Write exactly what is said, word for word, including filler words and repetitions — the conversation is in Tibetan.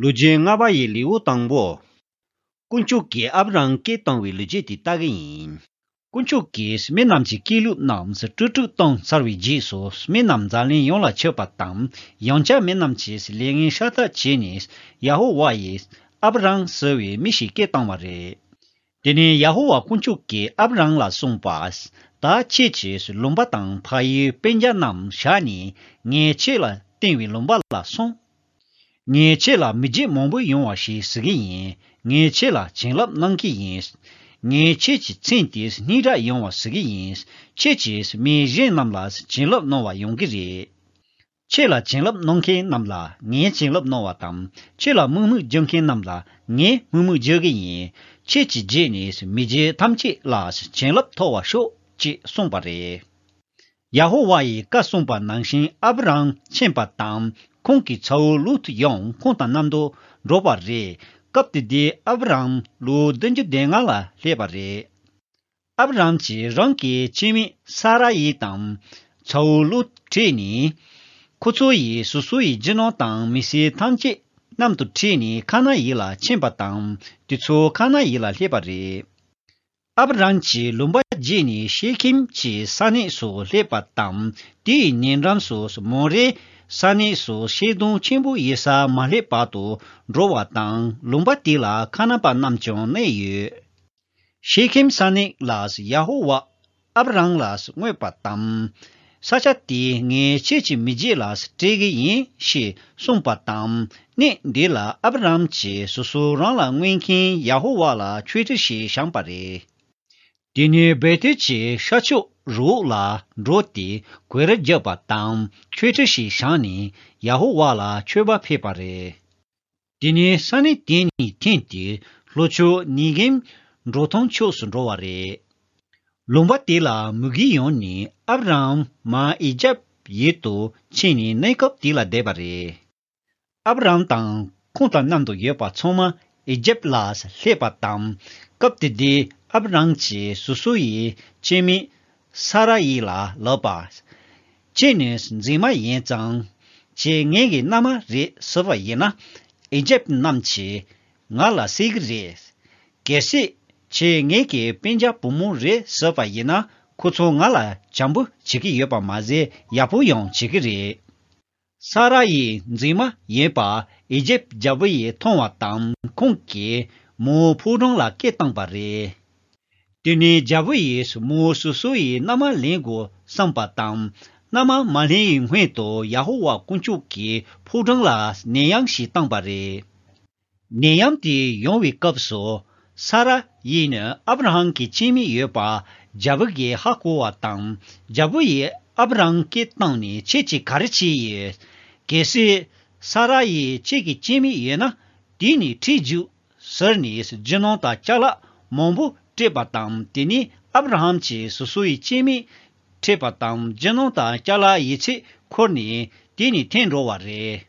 ལོ་རྒྱུས་ལྔ་པ་ཡི་ལེའུ་དང་པོ། དཀོན་མཆོག་གིས་ཨབ་རམ་སྐད་བཏང་བའི་ལོ་རྒྱུས་དེ་ལྟ་གི་ཡིན། དཀོན་མཆོག་གིས་མི་རྣམས་ཀྱི་སྐད་ལུགས་རྣམས་དཀྲུག་དཀྲུག་བཏང་ཚར་བའི་རྗེས་སུ། མི་རྣམས་འཛམ་གླིང་ཡོངས་ལ་ཁྱབ་པ་དང་། ཡང་བསྐྱར་མི་རྣམས་ཀྱིས་ལས་ངན་ཤ་སྟག་བྱས་ནས། ཡ་ཧོ་ཝཱ་ཡིས་ཨབ་རམ་ཟེར་བའི་མི་ཞིག་སྐད་བཏང་བ་རེད། དེ་ནས་ཡ་ཧོ་ཝཱ་དཀོན་མཆོག་གིས་ཨབ་རམ་ལ་གསུངས་པ། ད་ཁྱེད་ཀྱིས་ལུང་པ་དང་ཕ་ཡུལ་སྤུན་ཀྱག་རྣམས་བཞག་ནས། ངས་ཁྱེད་ལ་བསྟན་པའི་ལུང་པ་ལ་སོང་། ངས་ཁྱེད་ལ་མི་རྒྱུད་མང་པོ་ཡོང་བ་ཞིག་བཟོ་གི་ཡིན། ངས་ཁྱེད་ལ་བྱིན་རླབས་གནང་གི་ཡིན། ངས་ཁྱེད་ཀྱི་མཚན་དེ་སྙན་གྲགས་ཡོང་བ་བཟོ་གི་ཡིན། ཁྱེད་ཀྱིས་མི་གཞན་རྣམས་ལ་བྱིན་རླབས་གནང་བ་ཡོང་གི་རེད། ཁྱེད་ལ་བྱིན་རླབས་གནང་མཁན་རྣམས་ལ་ངས་བྱིན་རླབས་གནང་བ་དང་། ཁྱེད་ལ་དམོད་མོ་རྒྱག་མཁན་རྣམས་ལ་ངས་དམོད་མོ་རྒྱག་གི་ཡིན། ཁྱེད་ཀྱི་རྗེས་ནས་མི་རྒྱུད་ཐམས་ཅད་ལ་བྱིན་རླབས་ཐོབ་པར་ཤོག་ཅེས་གསུངས་པ་རེད། ཡ་ཧོ་ཝཱ་ཡིས་བཀའ་གསུངས་པ་ནང་བཞིན་ཨབ་རམ་ཕྱིན་པ་དང་། ཁོང་གི་ཚ་བོ་ལུ་ཏུ་ཡང་ཁོང་དང་མཉམ་དུ་འགྲོ་བ་རེད། སྐབས་དེ་དུས་ཨབ་རམ་ལོ་བདུན་ཅུ་དོན་ལྔ་ལ་སླེབས་པ་རེད། ཨབ་རམ་གྱིས་རང་གི་སྐྱེ་དམན་ས་ར་ཡི་དང་། ཚ་བོ་ལུ་ཏུ་ཁྲིད་ནས། ཁོ་ཚོ་ཡིས་སོ་སོ་ཡི་རྒྱུ་ནོར་དང་མི་སེར་ཐམས་ཅད་མཉམ་དུ་ཁྲིད་ནས་ཁ་ན་ཨིན་ལ་ཕྱིན་པ་དང་། དེ་ཚོ་ཁ་ན་ཨིན་ལ་སླེབས་པ་རེད། ཨབ་རམ་གྱིས་ལུང་པ་བརྒྱུད་ནས་ཤེ་ཁེམ་གྱི་ས་གནས་སུ་སླེབས་པ་དང་། དེའི་ཉེ་འགྲམ་སུ་མོ་རེ་ས་གནས་སུ་ཤིང་སྡོང་ཆེན་པོ་ཡོད་སར་མ་སླེབས་བར་དུ་འགྲོ་བ་དང་། ལུང་པ་དེ་ལ་ཁ་ན་པ་རྣམས་ཀྱང་གནས་ཡོད། ཤེ་ཁེམ་ས་གནས་ལ་ཡ་ཧོ་ཝཱ་ཨབ་རམ་ལ་མངོན་པ་དང་། ས་ཆ་དེ་ངས་ཁྱེད་ཀྱི་མི་རྒྱུད་ལ་སྤྲད་གི་ཡིན་ཞེས་གསུངས་པ་དང་། གནས་འདི་ལ་ཨབ་རམ་གྱིས་སོ་སོ་རང་ལ་མངོན་མཁན་ཡ་ཧོ་ཝཱ་ལ་མཆོད་ཁྲི་ཞིག་བཞེངས་པ་རེད། དེ་ནས་བེ་ཐེལ་གྱི་ཤར་ཕྱོགས་རི་བོ་ལ་འགྲོ་སྟེ་གོས་ར་བརྒྱབ་པ་དང་མཆོད་ཁྲི་ཞིག་བཞེངས་ནས་ཡ་ཧོ་ཝཱ་ལ་མཆོད་པ་ཕུལ་བ་རེད། དེ་ནས་ས་གནས་དེ་ནས་ཐོན་ཏེ་ལྷོ་ཕྱོགས་ནེ་གེབ་འབྲོག་ཐང་ཕྱོགས་སུ་འགྲོ་བ་རེད། ལུང་པ་དེ་ལ་མུ་གེ་ཡོང་ནས་ཨབ་རམ་མར་ཨི་ཇེབ་ཡུལ་དུ་ཕྱིན་ནས་གནས་སྐབས་དེ་ལ་བསྡད་པ་རེད། ཨབ་རམ་དང་ཁོང་དང་མཉམ་དུ་ཡོད་པ་ཚང་མ་ཨི་ཇེབ་ལ་སླེབས་པ་དང་། སྐབས་དེ་དུས་ཨབ་རམ་གྱིས་སོ་སོ་ཡི་སྐྱེ་དམན་ས་ར་ཡི་ལ་ལབ་པ། ཁྱེད་ནི་མཛེས་མ་ཡིན་ཙང་། ཁྱེད་ངེད་ཀྱི་མནའ་མ་རེད་ཟེར་བ་ཡིན་ན། ཨི་ཇེབ་རྣམས་ཀྱིས་ང་ལ་བསད་ཀྱི་རེད། གལ་སྲིད་ཁྱེད་ངེད་ཀྱི་སྤུན་ཀྱག་བུ་མོ་རེད་ཟེར་བ་ཡིན་ན། ཁོ་ཚོ་ང་ལ་བྱམས་པོ་བྱེད་ཀྱི་ཡོད་པ་མ་ཟད་ཡག་པོ་ཡང་བྱེད་ཀྱི་རེད། ས་ར་ཡི་མཛེས་མ་ཡིན་པ་ཨི་ཇེབ་རྒྱལ་པོ་ཡིས་མཐོང་བ་དང་། ཁོང་གིས་མོའི་ཕོ་བྲང་ལ་སྐད་བཏང་བ་རེད། དེ་ནས་རྒྱལ་པོ་ཡིས་མོ་སོ་སོ་ཡི་མནའ་མ་ལེན་དགོས་བསམ་པ་དང་། མནའ་མ་མ་ལེན་ཡི་སྔོན་དུ་ཡ་ཧོ་ཝཱ་དཀོན་མཆོག་གི་ཕོ་བྲང་ལ་ནད་ཡམས་ཤིག་བཏང་བ་རེད། ནད་ཡམས་དེ་ཡོང་བའི་སྐབས་སུ། ས་ར་ཡིས་ནི་ཨབ་ར་ཧམ་གྱི་སྐྱེ་དམན་ཡོད་པ་རྒྱལ་པོ་གིས་ཧ་གོ་བ་དང་། རྒྱལ་པོ་ཡིས་ཨབ་ར་ཧམ་སྐད་བཏང་ནས་ཁྱེད་ཀྱིས་ག་རེ་བྱས་ཡོད། གལ་སྲིད་ས་ར་ཡིས་ཁྱེད་ཀྱི་སྐྱེ་དམན་ཡོད་ན་དེ་ནས་ཁྲིད་རྒྱུགས་ཟེར་ནས་རྒྱུ་ནོར་དང་ཅ་ལག་མང་པོ་སྤྲད་པ་དང་། དེ་ནས་ཨབ་ར་ཧམ་གྱིས་སོ་སོ་ཡི་སྐྱེ་དམན་ཁྲིད་པ་དང་། རྒྱུ་ནོར་དང་ཅ་ལག་ཡོད་ཚད་འཁུར་ནས་དེ་ནས་ཐོན་འགྲོ་བ་རེད།